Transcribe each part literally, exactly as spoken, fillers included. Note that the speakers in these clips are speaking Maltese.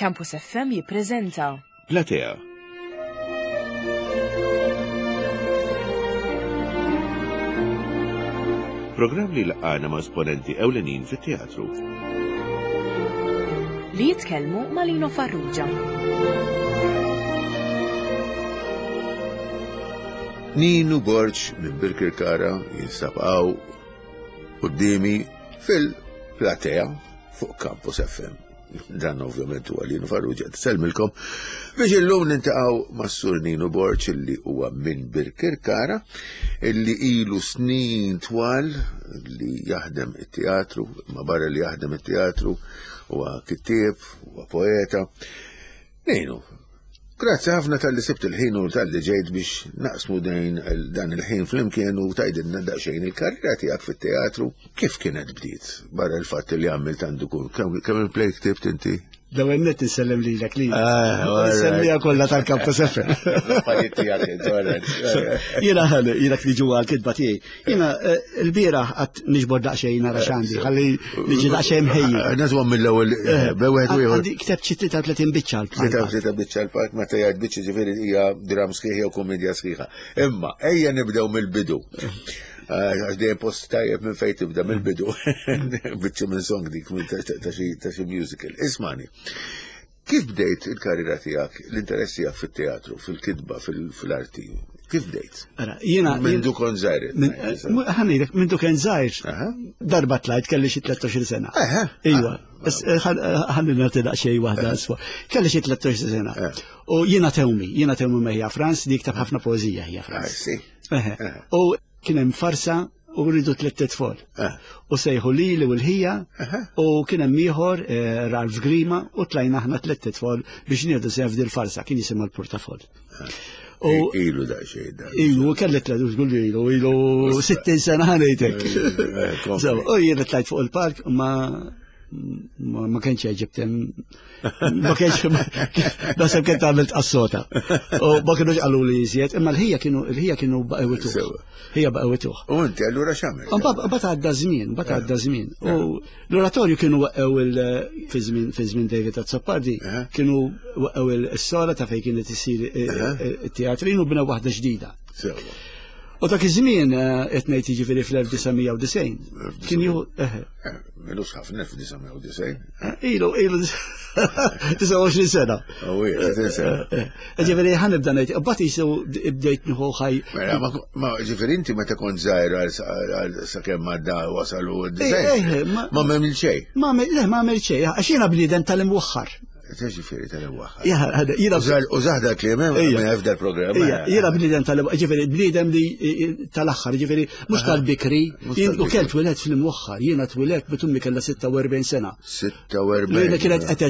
Campus F M jippreżenta Platea. Programm li laqgħana ma' esponenti ewlenin fit-teatru. Li jitkellmu ma' Lino Farrugia. Ninu Borg minn Birkirkara jinsab hawn quddiemi fil-platea fuq Campus F M. Dan ovvjament huwa Lino Farrugia tisellmilkom biex illum nintaqgħu mas-Sur Ninu Borg illi huwa minn Birkirkara, illi ilu snin twal li jaħdem it-teatru, ma barra li jaħdem it-teatru huwa kittieb, huwa poeta. Ninu, grazzi ħafna tal-li sibt il-ħin u tal-li ġejt biex naqsmu dejn dan il-ħin flimkien u tgħidilna daqsxejn il-karriera tiegħek fit-teatru kif kienet bdiet barra l-fatt li għamilt għandu kun kemm, kemm il-play ktibt inti? L-ewwel nett insellem lilek li. Ah, all right. Insellmiha kollha tal-Campus F M. Affarijiet tiegħek int, all right. Jiena ħalli, jiena kif niġu għall-kitba tiegħi. Jiena, eh, l-bieraħ qatt niġbor daqsxejn nara x'għandi, ħalli niġi daqsxejn mħejji. Eh, Nażwom mill-ewwel, eh, Eh, bej wieħed u ieħor. Għandi ktibt xi tlieta u tletin biċċa għall-park. Tlieta u tlieta biċċa għall-park, meta jgħid biċċa ġifieri hija dram sħiħ jew kumedja sħiħa. Imma ejja nibdew mill-bidu. Eh, għax dejjem post tajjeb minn fejn tibda mill-bidu. Biċċa minn song dik minn ta' ta' xi, ta' xi musical. Ismani, kif bdejt il-karriera tiegħek, l-interess tiegħek fit-teatru, fil-kitba, fil-, fil-arti? Kif bdejt? Ara, jiena Minn du kont żgħir, Minn, ngħid, eh, mu-, ħa ngħidlek, minn du kien żgħir. Aha. Darba tlajt kelli xi tlettax-il sena. Aha. Iva. Ah. Is-, eh, ħan-, eh, ħalli nagħti daqsxejn waħda swa. Kelli xi tlettax-il sena. Eh. U jiena tewmi, jiena tewmi Mejja Franz, dik tab ħafna poeżija hija Franz. Ah, sì. Eħe. Eh. U kien hemm farsa u rridu tliet tfal. Eh. U sejħu lili u l-ħija, Aha. u kien hemm ieħor, eh, Ralph Grima, u tlajna aħna tliet tfal biex nieħdu sehem f'dil farsa, kien jisimha l-portafol. Eh. U Ilu daqsxejn, daqsxejn. Ilu, kelli tliet, u żgur li ilu, ilu Issa. sittin sena ħanejtek. Eh, eh, kompli. So, u jiena tlajt fuq il-park, ma ma, ma kienx jgħġib tem, ma kienx, naħseb kien tagħmel tqassota. U ma kienux qalu li iżjed, imma l-ħija kienu, l-ħija kienu baqgħu ituh. Sewa. Ħija baqgħu ituh. U inti allura x'għamilt? U mbagħad, mbagħad għadda żmien, mbagħad għadda żmien. U l-oratorju kienu waqgħu il-, fi żmien, fi żmien David Azzopardi, Aha. kienu waqgħu il-sola ta' fejn kienet isir Aha. it-teatrin u bnew waħda ġdida. Sewa. U dak iż-żmien, eh, qed ngħid jiġifieri fl-elf disa' mija u disgħin, kien jieħu, eħe. Eh, milux ħafna elf disa' mija u disgħin. Eh, ilu, ilu disa' u għoxrin sena. Oh, ija, disa' sena. Eh, eh, ġifieri ħa nibda ngħid, u mbagħad jisu bdejt nieħu ħaj. Mela, ma, ma ġifieri inti meta kont żgħir għal sa-, għal sakemm għadda wasalu d-disgħin. Eh, eh, ma- Ma m'għamil xejn. Ma għamil, le, ma għamil xejn, għax jiena bniedem tal-imwaħħar. Ta' ġifieri tal-imwaħħar. Ja, ħada, jiena Użal, użaħ dak li hemm, Ija. minn f'dal programm. Ija, jiena bniedem tal-, ġifieri bniedem li tal-aħħar, ġifieri mhux Aha. tal-bikri. Mhux Jien u tal-bikri. kell twilet fl-imwaħħar, jiena twilet meta ummi kellha sitta u erbgħin sena. Sitta u erbgħin. Jiena kienet qed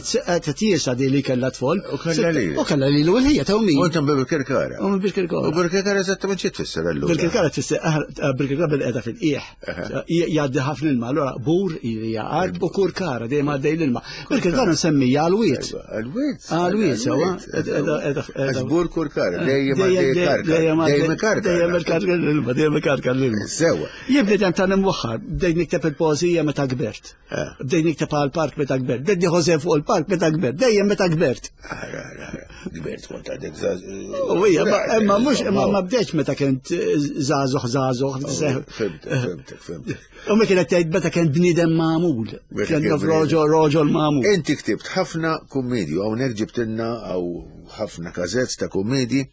qed tiesa di li kellha tfal. U kellha lili. U kellha lili u l-ħija ta' ummi. U intom Birkirkara. U minn Birkirkara. U Birkirkara eżattament xi tfisser allura? Birkirkara tfisser, ah, ah, Birkirkara bil-qeda fil-qiegħ. Aha. J-, jgħaddi ħafna ilma, allura bur hija art u kurkara dejjem għaddej l-ilma. Birkirkara nsemmija għal-wied. Għal-wied. Għal-wied, sewa. Għal-wied, Ed-, ed-, ed-, ed-, Għax bur kurkara, dejjem Dejjem, għaddej dejjem, karkar. dejjem għaddej- Dejjem karkar. dejjem il-karkar l-ilma, dejjem il-karkar l-ilma. Sewa. Jien bdejt hemm tal-imwaħħar, bdejt nikteb il-poeżija meta kbert. Eh. Bdejt nikteb għall-park meta kbert, bdejt nieħu sehem fuq il-park meta kbert, dejjem meta kbert. Ara, ara, ara. Kbert kont għadek żgħażugħ. U hija, ma-, imma mhux, imma ma bdejtx meta kont żgħażugħ, żgħażugħ, Oh, Fimtek, fimtek, fimtek. U ma kienet tgħid meta kien bniedem magħmul. Meta Kien kien naf roġol, roġol magħmul. Inti ktibt ħafna kummedji, hawnhekk ġibtilna hawn ħafna każezz ta' kummedji,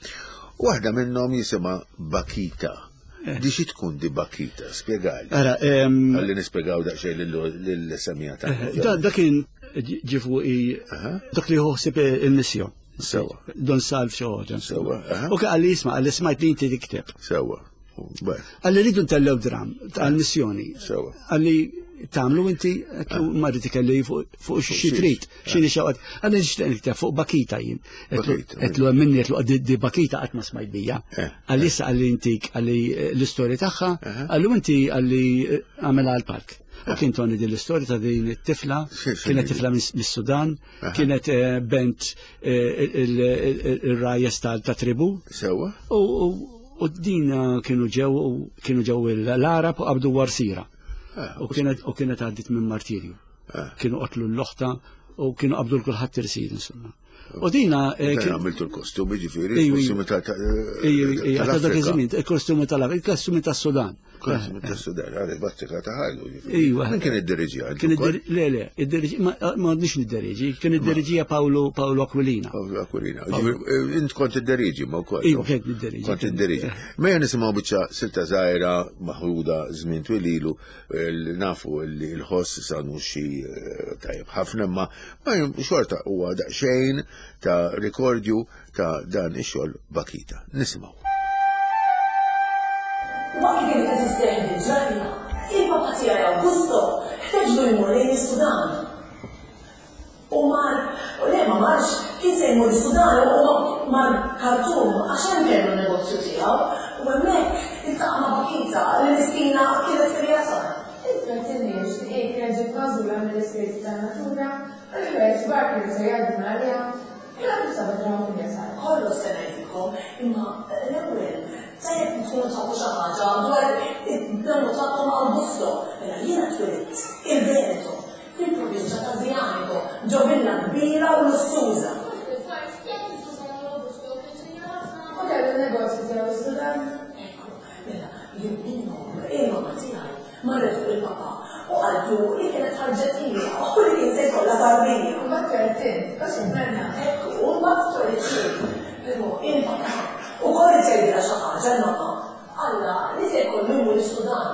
waħda minnhom jisimha Bakita. Eh. Di xi tkun di Bakita? Spjegali. Ara, ehm, Ħalli nispjegaw daqsxejn lil-, lill-semija tagħna. Eh, da-, da kien ġifu i Aha. dak li ħossib il-missjon. Sewa. Don Salv xi ħaġa. Sewa, aha. U qal li isma', qal li smajt li inti tikteb. Sewa. Beh. Qal li rridu ntellgħu dram tal-missjoni. Sewa. Qal li tagħmlu inti, għedtlu ma rrid ikelli fuq, fuq xi xiex. trid, xi nixtieq. Għalli nixtieq nikteb fuq Bakita jien. Għedtlu, Bakita, għedtlu hemm minni, għedtlu, di, di Bakita qatt ma smajt bija. Eh. Għalli issa għalli intik, għalli l-istorja tagħha, Aha. għallu inti għalli għamilha għall-park. U kien toni din l-istorja ta' din it-tifla, Xi, xi kienet din? tifla mis-, mis-Sudan, Aha. kienet, eh, bent, eh, il-, il-, il-, il-rajes ta', ta' tribu. Sewa. U, u, u din kienu ġew, kienu ġew l-Arab u qabdu warsira. Ah, U kienet, u kienet għaddit minn martirju. Ah. Kienu qotlu l-loħta U kienu qabdu l-kulħadd tirsil, insomma. U dina. Eh, kien għamiltu l-kostumi ġifieri, il-kostumi ta' ta' dak iż-żmien, il-kostumi tal-Afrika, il-kostumi tas-Sudan. Kostumi tas-Sudan, għalek battika ta' ħajlu. Iva. Min kien id-diriġija? Kien Le, le, id-diriġija, ma għadniex nid-diriġi, kien id-diriġija Paolo Paolo Aquilina. Paolo Aquilina. Int kont id-diriġi ma wkoll. Iva, kien id-diriġi. Kont id-diriġi. Mejja nisimgħu biċċa silta żgħira maħruda żmien twililu nafu li l-ħoss sanu xi tajjeb ħafna ma xorta huwa daqsxejn ta' rikordju ta' dan ix-xogħol Bakita. Nisimgħu. Waqt li kienet qed isseħħ il-ġrajja, il-papa tiegħi Augusto ħteġlu jmur lejn is-Sudan. U mar, u le ma marx, kien se jmur is-Sudan u mar Khartoum għax hemm kellu n-negozju tiegħu u hemmhekk iltaqa' ma' Bakita li miskina kienet fil-jasar. Id-trattinniex li hi kienet ġiet magħżula mill-ispirti tan-natura u li ħwejjeġ kbar kienu se jgħaddu minn għaliha. Kienet tibsa' ġewwa fil-jasar. Kollox se ngħidilkom, imma l-ewwel tajjeb tkunu tafu xi ħaġa dwar id-danu tagħkom Augusto. Mela jiena twilidt il-Veneto, fil-provinċja ta' Zianico, ġo villa kbira u lussuża. U kellu negozju tiegħu s-Sudan. Ekku, mela jien minnhom il-mamma tiegħi marret fuq il-papa u qaltu li kienet ħarġet hija u li kien se jkollha tarbija. U mbagħad twelidt int, u x'intenna? Ekku, u mbagħad twelidt jien. Però il-papa ukoll irid jgħidilha xi ħaġa l-mamma. Alla li se jkollu jmur is-Sudan.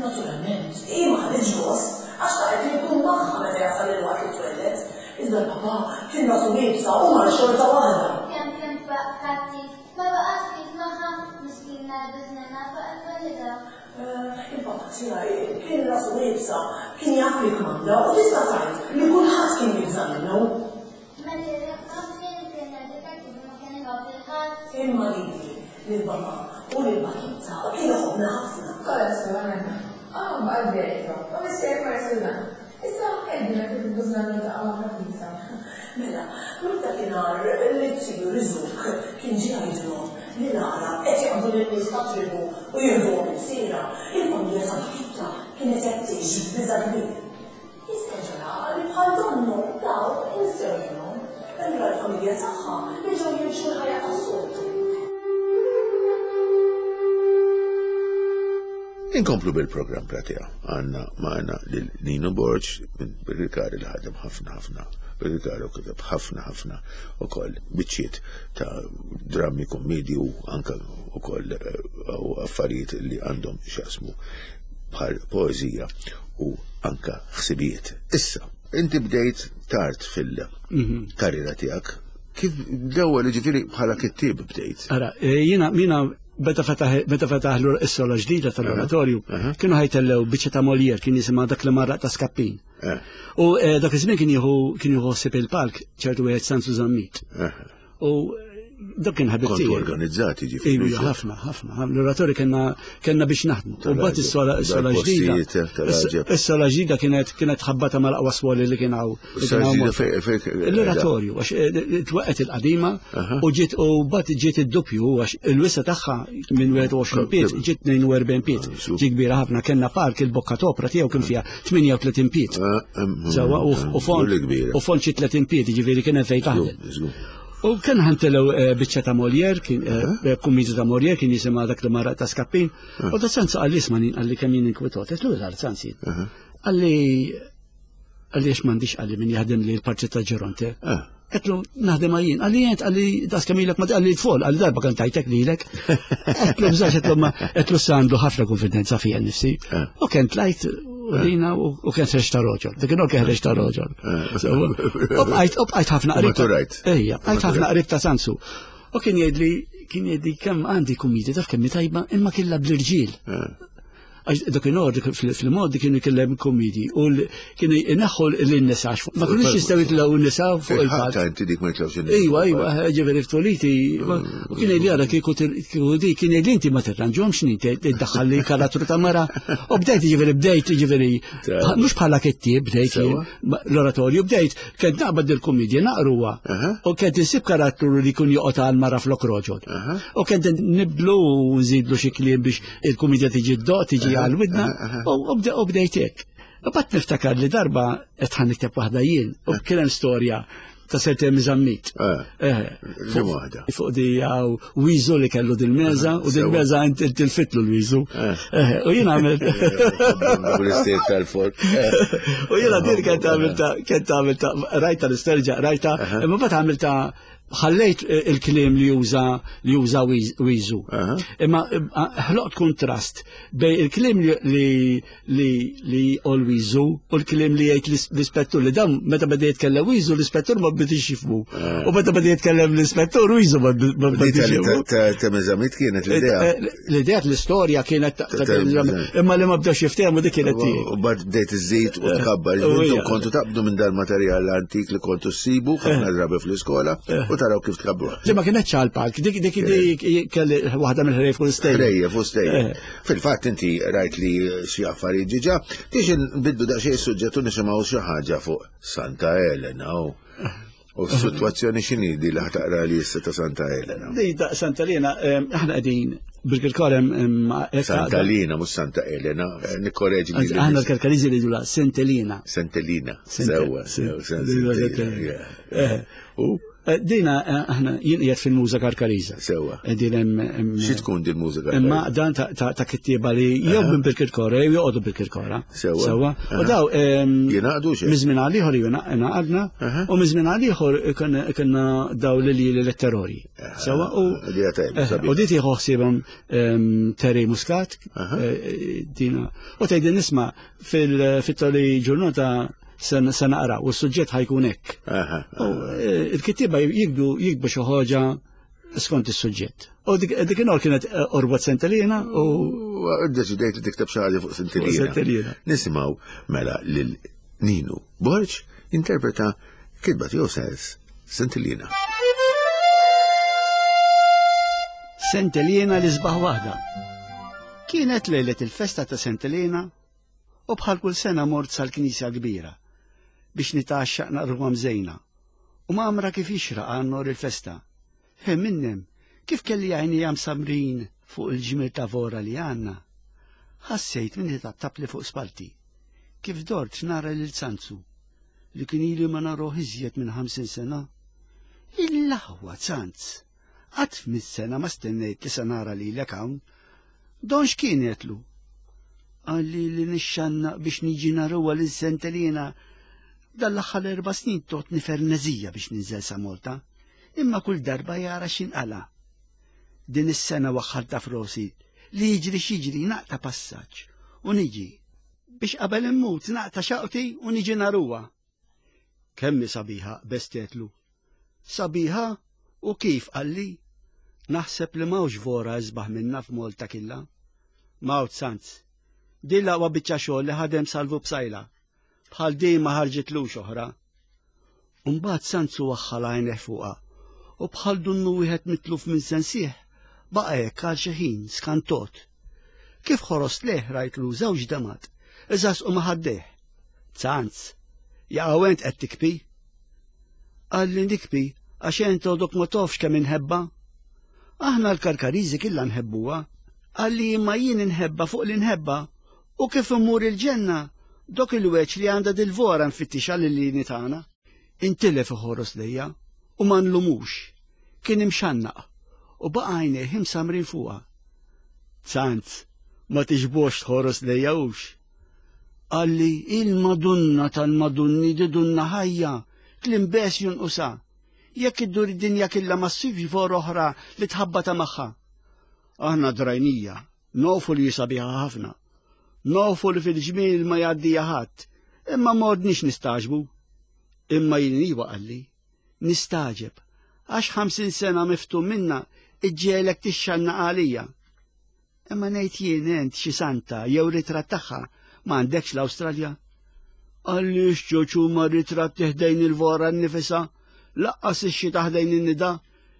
Naturalment, hi ma ħaditx gost għax taqgħet li jkun magħha meta jasal il-waqt li twellet. Iżda l-papa kien rasu iebsa u mar xorta waħda. Kemm kien kattiv, ma baqax jismaha miskina biżnena fuq il-valida. Il-papa tiegħi kien rasu iebsa, kien jaf li kmanda u tista' tgħid li kulħadd kien jibża' minnu. Imma lili, lil-baba u lil-Bakita kien iħobbna ħafna. Kollox sewa nanna. Omm baqgħet Veneto u missierek mar Sudan. Issa għedilna kif il-bużnannu ltaqa' ma' Bakita. Mela, minn dakinhar li t-tiju Riżuk kien ġie jgħidilhom li l-Għarab qed jaqbdu lin-nies tat-tribu u jieħduhom ilsiera, il-familja ta' Bakita kienet qed tgħix f'biża' kbir. Issa ġara li bħal donnu dawn insew minnhom. Allura l-familja tagħha reġgħu jgħixu l-ħajja tas-soltu. Inkomplu bil-programm Platea. Għanna maħna lil Nino Borg minn Birkirkara li ħadem ħafna ħafna. Birkirkara u kiteb ħafna ħafna u koll biċċiet ta' drammi, kommedji u anka u koll u affarijiet li għandhom x'jaqsmu bħal poezija u anka ħsibijiet. Issa, inti bdejt tard fil-karriera tiegħek. Kif l-ewwel ġifieri bħala kittieb bdejt? Ara, jiena mina meta fetaħ meta fetaħ l-sola ġdida tal-oratorju, kienu ħajtellew biċċa ta' Molière kien jisimha Dak li marraq ta' Skappin. U dak iż-żmien kien jieħu kien jieħu ħsieb il-palk ċertu wieħed Sansu Zammit. U dak kien ħabib tiegħi. Kontu organizzati ġifieri. Iva, ħafna, ħafna. L-oratorju kellna kellna biex naħdmu. U mbagħad is-sola is-sola ġdida. Is-sola ġdida kienet kienet ħabbata mal-aqwa swoli li kien hawn. L-oratorju għax twaqqet il-qadima u ġiet u mbagħad ġiet id-doppju għax il-wisa tagħha minn wieħed u għoxrin piet ġiet tnejn u erbgħin piet. Ġi kbira ħafna, kellna park il-bokka topra tiegħu kien fiha tmienja u tletin piet. Sewwa u fond u fond xi tletin piet, jiġifieri kien hemm fejn taħdem. U kien ħantellew biċċa ta' Molière, kien kummidja ta' Molière kien jisimha Dak li marraq ta' Skappin. U da Sanza qalli isma' qalli kemm jien inkwetot, qed lura Sanzi. Qalli qalli għax m'għandix qalli min jaħdem li l-parti ta' Ġeronte. Qedlu naħdem jien, qalli jent qalli das kemm ilek ma qalli tfol, qalli darba kan tajtek lilek. Qedlu bżax qedlu ma qedlu sa għandu ħafna konfidenza fija nnifsi. U kien tlajt u dina u kien ħreġ ta' roġol. Dik kien ħreġ ta' roġol. U bqajt u bqajt ħafna qrib. Ejja, bqajt ħafna qrib ta' Sansu. U kien jgħidli kien jgħidli kemm għandi kumidi taf kemm tajba imma killa bl-irġiel. Għax dak inhor fil-modi kienu jkellem komedi u kienu jneħħu lin-nisa ma kinux jistgħu jitilgħu n-nisa fuq il-palk. Inti dik ma jitlgħux in-nisa. Iva, iva, ġifieri f'toliti. U kien jgħidli ara kieku di kien jgħidli inti ma tirranġhomx inti iddaħħal li karattru ta' mara. U bdejt ġifieri bdejt ġifieri mhux bħala kittieb bdejt l-oratorju bdejt kien naqbad il-kumedja naqruha u kien insib karattru li jkun joqgħod għal mara flok roġol. U kien nibdlu u nżidlu xi kliem biex il-kumedja tiġi d-doq tiġi għal-widna u bdejt hekk. Bat niftakar li darba qed ħa nikteb waħda jien u kien hemm storja ta' Sir Miżammit. Waħda. Fuq di għaw Wizu li kellu dil-meza u dil-meza intilfitlu l-Wizu. U jien għamilt. L-istiet tal-folk. U jiena din kent għamilta, kent għamilta, rajta l-isterġa, rajta, imma bat għamilta ħallejt il-kliem li juża li juża Wizu. Imma ħloqt kontrast bej il-kliem li li li jqol Wizu u l-kliem li jgħid l-ispettur li dan meta beda jitkellem Wizu l-ispettur ma bidix jifhmu. U meta beda jitkellem l-ispettur Wizu ma bidix jifhmu. Ta' Meżamit kienet l-idea. L-idea l-istorja kienet ta' imma li ma bdex jiftehmu dik kienet tiegħi. U bad bdejt iżżid u tkabbar. Intom kontu taqbdu minn dal-materjal antik li kontu ssibu ħafna drabi fl-iskola u taraw kif tkabru. Li ma kienetx għal-palk, dik dik dik kelli waħda mill-ħrejf u l-istejjer. Ħrejjef u stejjer. Fil-fatt inti rajt li xi affarijiet ġiġa, tix nbiddu daqsxejn is-suġġett u nisimgħu xi ħaġa fuq Santa Elena u u s-sitwazzjoni x'inhi di li ħtaqra li issa ta' Santa Elena. Di ta' Santa Elena, aħna qegħdin bil-Kirkor hemm Santa Elena mhux Santa Elena, nikkoreġi li. Aħna l-Karkariżi li jgħidulha Sentelina. Sentelina, sewwa, sewwa. U Dina aħna jien qiegħed fil-muża Karkariża. Sewwa. Din hemm Xi tkun din mużika? Imma dan ta' kittieba li jew minn Birkirkora jew joqogħdu Birkirkora. Sewwa. U daw jingħaqdu xi. Minn żmien għal ieħor ingħaqadna u minn żmien għal ieħor kienna daw li li letterori. Sewwa u u di tieħu ħsiebhom Terry Muscat dina. U tgħidin nisma' fil-toli ġurnata se naqra u s-suġġett ħajkun hekk. Il-kittieba jikbu jikbu xi ħaġa skont is-suġġett. U dik inhor kienet orbot Sentelina u ddeċidejt li tikteb xi ħaġa fuq Sentelina. Nisimgħu mela lil Ninu Borg interpreta kitba tiegħu stess Sentelina. Sentelina li sbaħ waħda. Kienet lejlet il-festa ta' Sentelina u bħal kull sena mort sal-knisja kbira biex nitaxxaq naqruha mżejna u mamra kif jixraq għan-nor il-festa. He minnem, kif kelli għajnija msamrin fuq il-ġmiel ta' vora li għandna, ħassejt minni tattapli fuq spalti. Kif dort nara lil Sanzu li kien ili ma naroh iżjed minn ħamsin sena. Il-laħwa Sanz, qatt mis-sena ma stennejt li se nara lilek hawn. Don x'kien qedlu? Qalli li nixxannaq biex niġi naruha lil Sentelina. Dan l-aħħar erba' snin totni fernezija biex ninżel sa Malta, imma kull darba jara x'inqala. Din is-sena waħħalta f'rosi li jiġri x'jiġri naqta' passaġġ u niġi biex qabel immut naqta' xaqti u niġi naruha. Kemmi sabiħa bestetlu. Sabiħa u kif qalli? Naħseb li m'hawnx vora isbaħ minna f'Malta killa. Mawt Sanz. Din l-aqwa biċċa xogħol li ħadem Salvu Psaila. Bħal din ma ħarġitlux oħra. Umbagħad Sanzu waħħal għajneh fuqha u bħal dunnu wieħed mitluf minn sensih baqa' hekk għal xi ħin skantot. Kif ħorost leh rajtlu żewġ damat, iżasqu ma' ħaddejh. Sanz, jaqgħu ent qed tikbi? Qalli nikbi għax ent għodok ma tofx kemm inħebba. Aħna l-Karkariżi killa nħebbuha. Qalli imma jien inħebba fuq li nħebba u kif immur il-ġenna dok il-weċ li għandha dil-vora nfittixa lil-lini tagħna. Intilef iħoros lejja u ma nlumux. Kien imxannaq u baqa' għajnejh imsamrin fuqha. Sanz, ma tiġbox tħoros lejja hux. Qalli il-Madunna tal-Madunni didunna ħajja, tlimbes junqusa. Jekk iddur id-dinja killa ma ssibx vora oħra li tħabbata magħha. Aħna drajnija, nofu li sabiħa ħafna. Nofu li fil-ġmiel ma jgħaddija ħadd, imma m'għodniex nistaġbu. Imma jien iwa qalli, nistaġeb, għax ħamsin sena miftum minna iġġielek tixxanna għalija. Imma ngħid jien ent xi santa jew ritratt tagħha ma għandekx l-Awstralja. Qalli x'ġoġ huma ritratti ħdejn il-vora nnifisha, laqqas ix-xita ħdejn in-nida,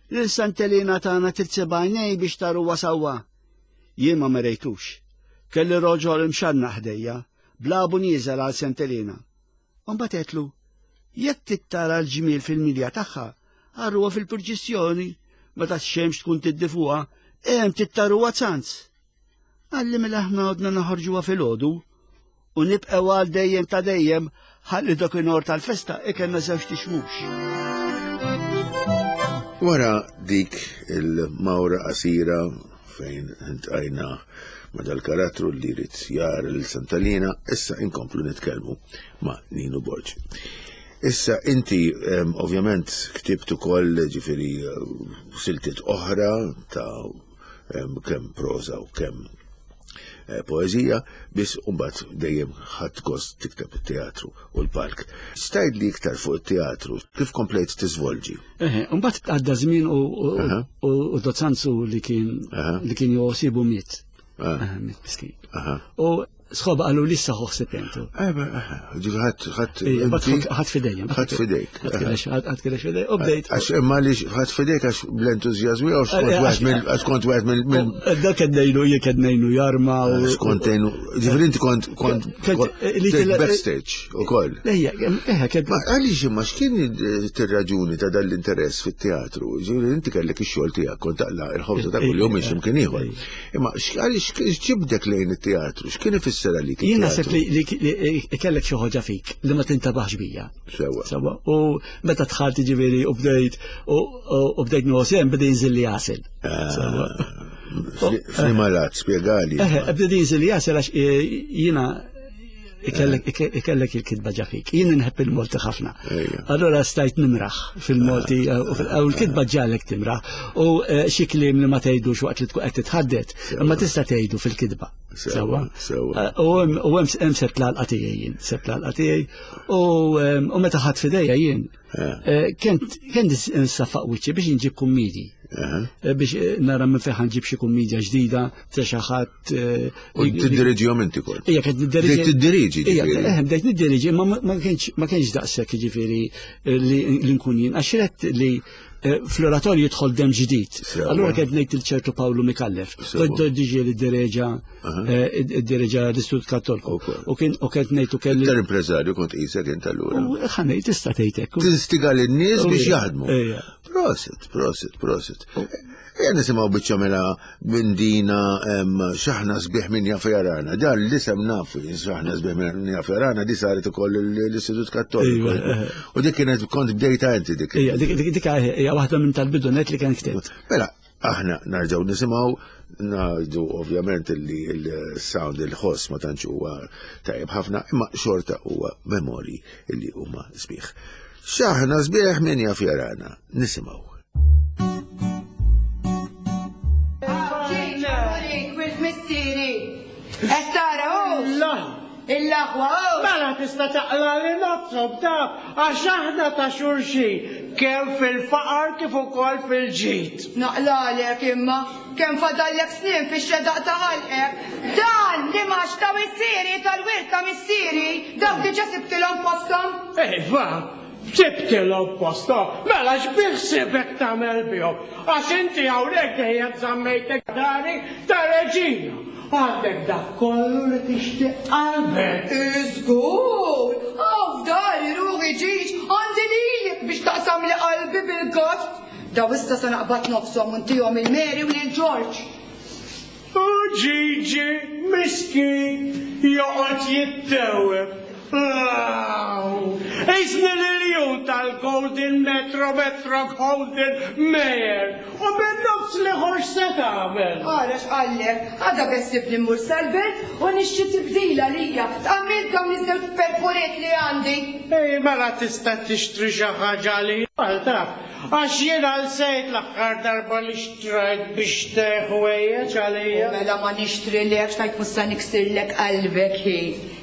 lil Santelina tagħna tirtseb għajnej biex taruha sewwa. Jien ma merejtux. Kelli roġol imxanna ħdejja, blabu nieżel għal Sentelina. U mbagħad għedtlu, jekk tittara l-ġmiel fil-milja tagħha, għarruha fil-purċissjoni, meta x-xemx tkun tiddi fuqha, hemm tittaruha Sanz. Qalli mela aħna għodna naħorġuha fil-għodu u nibqgħu għal dejjem ta' dejjem ħalli dakinhar tal-festa ikelna żewġ tixmux. Wara dik il-mawra qasira fejn intqajna ma' dal-karattru li jrid jara lil Santa Liena, issa inkomplu nitkellmu ma' Ninu Borg. Issa inti ovvjament ktibt ukoll ġifieri siltiet oħra ta' kemm proża u kemm poeżija, biss mbagħad dejjem ħadt gost tikteb it-teatru u l-palk. X'tgħidli iktar fuq it-teatru, kif komplejt tiżvolġi? Eħe, mbagħad għadda żmien u Dozanzu li kien li kien joħsibu miet. Miet miskin. U sħoba qalu li issa ħoħseb intu. Ħadd ħadd ħadd fidejja. Ħadd fidejk. Ħadd kellix fidej u bdejt. Għax imma li ħadd fidejk għax bl-entużjażmu jew skont wieħed mill għax kont wieħed mill Dak qed ngħidu jien qed ngħidu jarma u kont ngħinu. Ġifieri inti kont kont backstage ukoll. Ejja, eħe Ma għaliex imma x'kien tir-raġuni ta' dan l-interess fit-teatru? Ġifieri inti kellek ix-xogħol tiegħek kont taqla' il-ħobża ta' kuljum minn x'imkien ieħor. Imma għaliex x'ġibdek lejn it-teatru? X'kien ifisser? Jien naħseb li kellek xi ħaġa fik li ma tintabaħx bija. Sewa. Sewa. U meta dħalt ġifieri u bdejt u bdejt nħossem bdejt jinżil li għasel. Sewa. F'limalat, spjegali. Eħe, bdejt jinżil li għasel għax jiena ikellek il-kitba ġa fik. Jien inħebb il-Malti ħafna. Allora stajt nimraħ fil-Malti u l-kitba ġalek timraħ u xi kliem li ma tgħidux waqt li tkun qed titħaddet, imma tista' tgħidu fil-kitba. Sewa. U hemm sebt l-għalqa tiegħi jien, sebt l-għalqa tiegħi u meta ħadd f'idejja jien kent kent nsaffaq wiċċi biex inġib kummidi. Biex nara minn fejn ħanġib xi kummedja ġdida ta' xi ħadd. U tiddiriġihom inti kont? Ija, kont niddiriġi. Bdejt tiddiriġi ġifieri. Ija, bdejt niddiriġi, imma ma kienx ma kienx daqshekk jiġifieri li nkun jien. Għax ridt li fl-oratorju jidħol dem ġdid. Allura kont ngħid il ċertu Pawlu Mikallef. Kont diġi li ddireġa ddireġa l-Istitut Kattoliku. U kien u kont ngħid ukoll. Iktar impreżarju kont qisek int allura. Ħa ngħid tista' tgħid hekk. Tinstiga lin-nies biex jaħdmu. Prosit, prosit, prosit. Ejja nisimgħu biċċa mela minn dina x'aħna sbieħ min jaf jarana. Dan l-isem nafu x'aħna sbieħ min jaf jarana di saret ukoll l-Istitut Kattoliku. U dik kienet kont bdejta inti dik. Ija, dik dik hija waħda minn tal-bidunet li kien ktibt. Mela, aħna nerġgħu nisimgħu ngħidu ovvjament li l-sound il-ħoss ma tantx huwa tajjeb ħafna, imma xorta huwa memorji li huma sbieħ. X'aħna sbieħ min jaf jarana. Nisimgħu. Il-laħwa, Mela tista' taqla li nofshom taf għax aħna ta' xulxin kemm fil-faqar kif ukoll fil-ġid. Naqlalek imma kemm fadallek snin fix-xedaq ta' ħalqek. Dan li max ta' missieri tal-wirt ta' missieri dawk diġà sibtilhom posthom. Iva, sibtilhom posthom. Mela x'biħsibek tagħmel bihom? Għax inti hawnhekk dejjem żammejtek dari ta' reġina. Għandek dak kollu li tixtieq qalbek. Iżgur, hawn f'dari ruħi ġiġ, għandi lilek biex taqsam li qalbi bil-gost. Daw issa se naqbad nofshom u ntihom il-Mary u lil George. U Ġiġi, miskin, joqgħod jittewweb. Isni l-iljun tal-Golden Metro Metro Golden Mayer. U minn nofs liħor se tagħmel? Ara x'qallek, għada bessibni mmur sal-belt u nixtri tibdila lija. Tqammilt dawn iż-żewġ perpuriet li għandi. Ej, mela tista' tixtri xi ħaġa li taf. Għax jiena nsejt l-aħħar darba li xtrajt biex teħwejjeġ għalija. Mela ma nixtrilek, x'tajt mhux se niksirlek qalbek hi.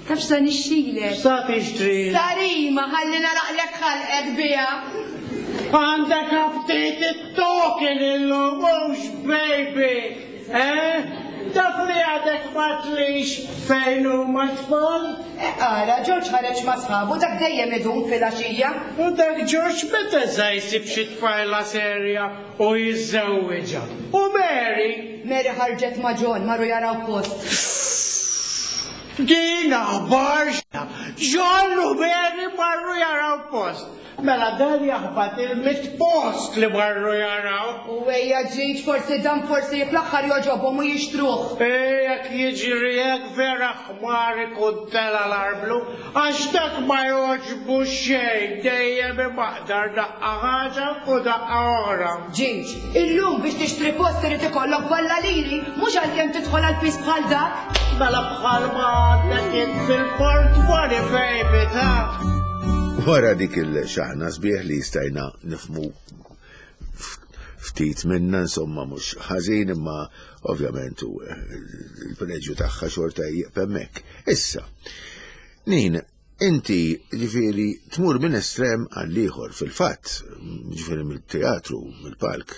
Taf x'sa nixxilek? Sa tixtri? Sarima, ħalli naraqlek ħalqek biha. Għandek aptit it-token illum, mhux baby. Eh? Taf li għadek ma tlix fejn huma t-tfal? Ara, George ħareġ ma' sħabu, dak dejjem idum fil-għaxija. U dak George meta se jsib xi tfajla serja u jiżżewwiġha. U Mary? Mary ħarġet ma' John, marru jaraw post. Din aħbar John u Mary marru jaraw post. Mela dan jaħbat il-mit post li marru jaraw. U ejja ġiġ, forsi dan forsi fl-aħħar joġobhom u jixtruh. Ejja jiġri hekk vera ħmar ikun tela l-arblu, għax dak ma joġbu xejn dejjem imaqdar daqqa ħaġa u daqqa oħra. Ġiġ, illum biex tixtri post irid ikollok balla liri, mhux għalkemm tidħol għal pis bħal dak. Mela bħal ma għandek int fil-portfoli baby ta' Wara dik il-xaħna sbieħ li stajna nifmu ftit minna, insomma, mhux ħażin, imma ovvjament u il-preġju tagħha xorta hemmhekk. Issa, Nin, inti ġifieri tmur minn estrem għal ieħor fil-fatt, ġifieri mill-teatru, mill-palk,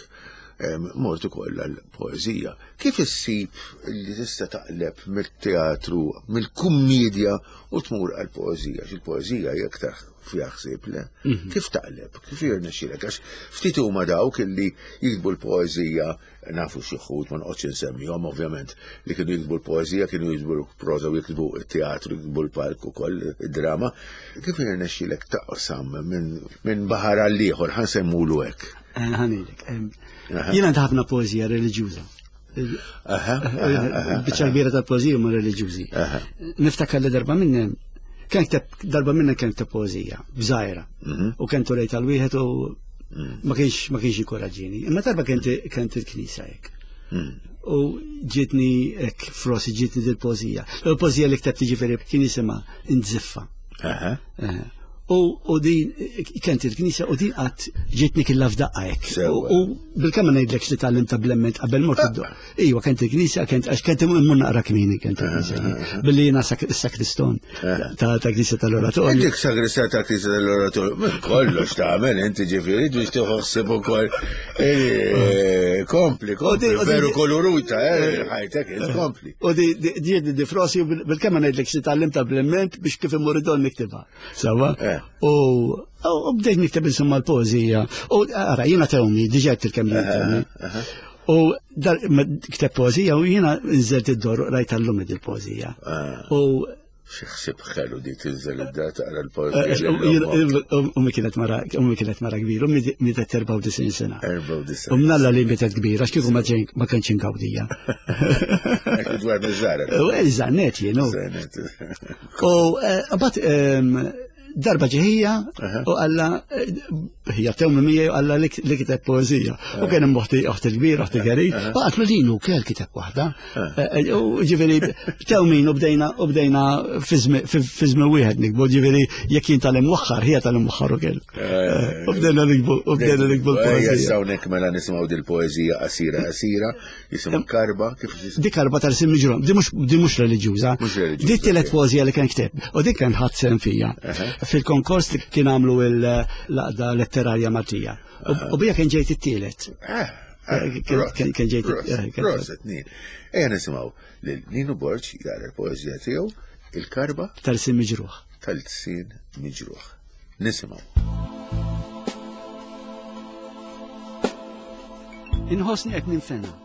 mort ukoll għall-poeżija. Kif issib li tista' taqleb mill-teatru, mill-kummedja u tmur għall-poeżija? X'il-poeżija hija aktar fiha ħsieb, le? Kif taqleb? Kif jirnexxielek? Għax ftit huma dawk illi jiktbu l-poeżija, nafu xi wħud ma noqgħodx insemmihom ovvjament, li kienu jiktbu l-poeżija, kienu jiktbu l-proża u jiktbu t-teatru, jiktbu l-palk ukoll id-drama. Kif jirnexxielek taqsam minn baħar għal ieħor, ħa nsemmulu hekk? Ħanilek. Jiena għandi ħafna poeżija reliġjuża. Biċċa kbira tal-poeżija huma reliġjużi. Niftakar li darba minnhom kien kteb darba minnhom kien kteb poeżija bżajra. U kien turejt għal wieħed u ma kienx ma kienx inkoraġġini. Imma darba kien kien il-knisja hekk. U ġietni hekk frosi ġietni dil-poeżija. Il-poeżija li ktebt jiġifieri kien jisimha Inżiffa. U din kent il-knisja u din qatt ġietni killa f'daqqa hekk. U bil-kemm ma ngħidlekx li tgħallimta bl-emment qabel mort id. Iwa kent il-knisja kent għax kent immur naqra kmieni kent il-knisja. Billi jiena sakriston ta' knisja tal-oratorju. Inti sakristan ta' knisja tal-oratorju, minn kollox tagħmel inti ġifieri biex tieħu ħsieb ukoll. Kompli, kompli, veru koloruta, ħajtek int kompli. U di ġietni di frosi bil-kemm ma ngħidlekx li tgħallimta bl-emment biex kif immur id-don niktibha. Sawa? U bdejt nikteb insomma l-poeżija. U ara, jiena tewmi, diġà għedtilkem li tewmi. U kteb poeżija u jiena nżelt id-dor rajt għallum id-poeżija. U xi ħsieb ħelu di tinżel id-dar taqra l-poeżija. Ummi kienet mara, ummi kienet mara kbira, ummi mietet erbgħa u disgħin sena. erbgħa u disgħin. U mnalla li mietet kbira, għax kieku ma kienx ingawdija. Dwar miż-żgħar. Iż-żgħar jien. U mbagħad darba ġeħija u għalla ħija tewmi mija u għalla li kiteb poeżija. U kien hemm oħti oħti l-kbir, oħti Geri, u għatlu linu kell kiteb waħda. U ġifieri tewmin u bdejna u bdejna fi żmien wieħed nikbu, ġifieri jekk jien tal-imwaħħar, ħija tal-imwaħħar ukoll. U bdejna nikbu u bdejna nikbu l-poeżija. Issa hawnhekk mela nisimgħu dil-poeżija qasira qasira, jisimha Karba, kif Di Karba tal-Sin Miġrum, di mhux di mhux reliġjuża. Di t-tielet poeżija li kien kteb u dik kien ħadd sehem fija. Fil-konkors li kien għamlu l-Għaqda Letterarja Maltija. U bija kien ġejt it-tielet. Kien ġejt Proset, Nin. Ejja nisimgħu lil Ninu Borg jaqra l-poeżija tiegħu Il-Karba tal-Sin Miġruħ. Tal-Sin Miġruħ. Nisimgħu. Inħossni qed ninfena.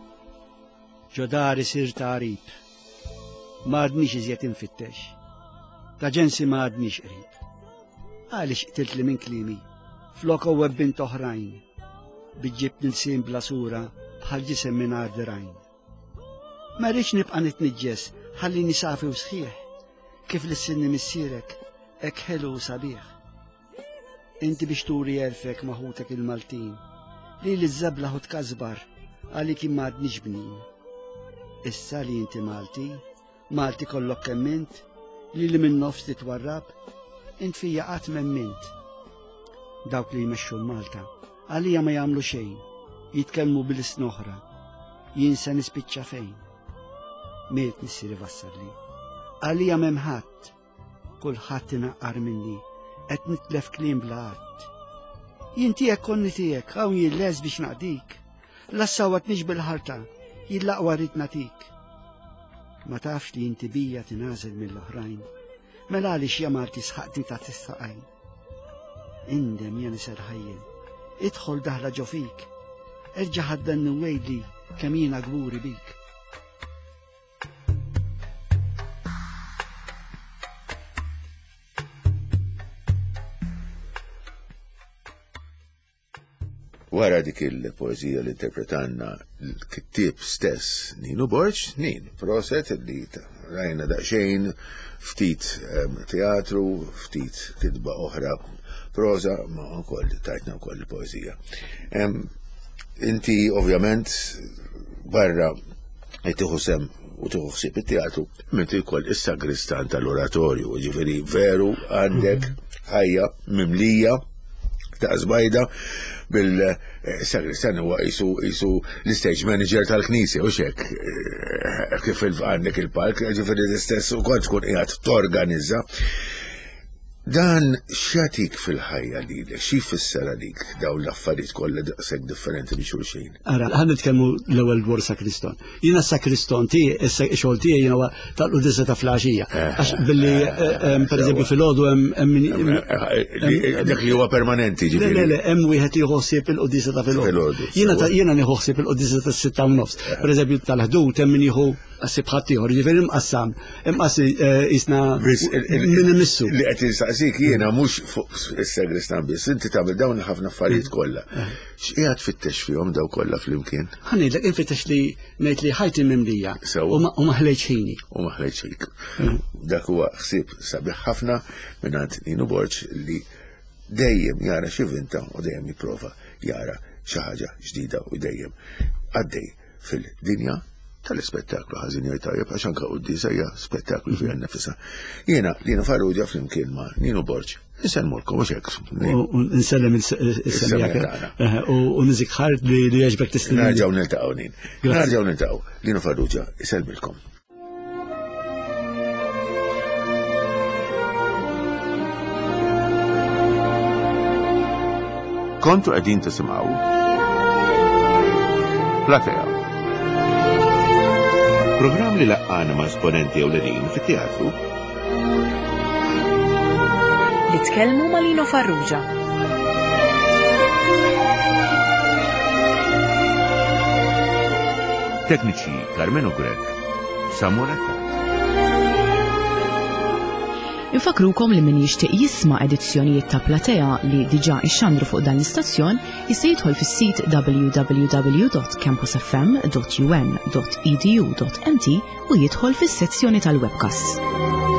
Ġo dari sir tarib. Ma għadnix iżjed infittex. Ta' ġensi ma għadnix qrib. Għaliex qtilt li minn klimi, flok u webbint oħrajn, biġġib nilsim bla sura bħal ġisem mingħajr dirajn. Ma rridx nibqa' nitniġġes, ħallini safi u sħiħ, kif lissinni missierek, hekk ħelu u sabiħ. Inti biex turi erfek maħutek il-Maltin, li l-żebla ħut kazbar, għalik imma għadnix bnin. Issa li inti Malti, Malti kollok kemm int, li li minn nofs titwarrab, int fija qatt m'emmint. Dawk li jmexxu l-Malta, għalija ma jagħmlu xejn, jitkellmu bil-isn oħra, jien se nispiċċa fejn. Miet missieri vassarli, għalija m'hemm ħadd, kulħadd inaqqar minni, qed nitlef kliem bla qatt. Jien tiegħek konni tiegħek, hawn jien les biex naqdik, la ssawwatnix bil-ħarta, jien l-aqwa rrid nagħtik. Ma tafx li inti bija tingħażel mill-oħrajn, mela għaliex ja Malti sħaqtni ta' tistaqajn. Indem ja nisel ħajjen, idħol daħla ġo fik, erġa' ħaddanni wejli kemm jiena kburi bik. Wara dik il-poeżija li interpretanna l-kittieb stess Ninu Borg, Nin, proset li rajna daqsxejn ftit teatru, ftit kitba oħra proza, ma wkoll tajtna wkoll il-poeżija. Inti ovvjament barra tieħu sem u tieħu ħsieb it-teatru, inti wkoll is-sagristan tal-oratorju, ġifieri veru għandek ħajja mimlija ta' żbajda bil-sagristan huwa qisu qisu l-istage manager tal-knisja u xek kif għandek il-palk, ġifieri l-istess ukoll tkun qiegħed torganizza. Dan x'jagħtik fil-ħajja lilek, xi jfisser għalik dawn l-affarijiet kollha daqshekk differenti minn xulxin? Ara, ħa nitkellmu l-ewwel dwar sakriston. Jiena s-sakriston tiegħi, ix-xogħol tiegħi jiena huwa tal-qudisa ta' filgħaxija. Għax billi pereżempju filgħodu hemm dak li huwa permanenti ġifieri. Le, le, hemm wieħed jieħu ħsieb il-qudisa ta' filgħodu. Jiena jiena nieħu ħsieb il-qudisa tas-sitta u nofs. Pereżempju tal-ħdud hemm min jieħu ħsieb ħaddieħor, ġifieri imqassam, imqassi jisna min imissu. Li qed insaqsik jiena mhux fuq is-sagristan biss, inti tagħmel dawn ħafna affarijiet kollha. X'qiegħed tfittex fihom daw kollha flimkien? Ħa ngħidlek infittex li ngħid li ħajti mimlija u ma ħlejtx ħini. U ma ħlejtx ħik. Dak huwa ħsieb sabiħ ħafna mingħand Ninu Borg li dejjem jara xi vinta u dejjem jipprova jara xi ħaġa ġdida u dejjem għaddej fil-dinja tal-ispettaklu ħażin jew tajjeb għax anke quddiesa hija spettaklu fiha nnifisha. Jiena Lino Farrugia flimkien ma' Ninu Borg insellmulkom mhux hekk. U nsellem is-semmiegħa u niżik ħart li jogħġbek tistenna. Nerġgħu niltaqgħu Nin. Nerġgħu niltaqgħu. Lino Farrugia isellmilkom. Kontu qegħdin tisimgħu Platea. Programm li laqqana ma' esponenti ewlenin fit-teatru. Li tkellmu ma' Lino Farrugia. Tekniċi Carmenu Grech, Samuel Attard. Infakrukom li min jixtieq jisma' edizzjonijiet ta' Platea li diġà ixxandru fuq dan l-istazzjon jista' jidħol fis-sit w w w dot campus f m dot u n dot e d u dot m t u jidħol fis-sezzjoni tal-webcast.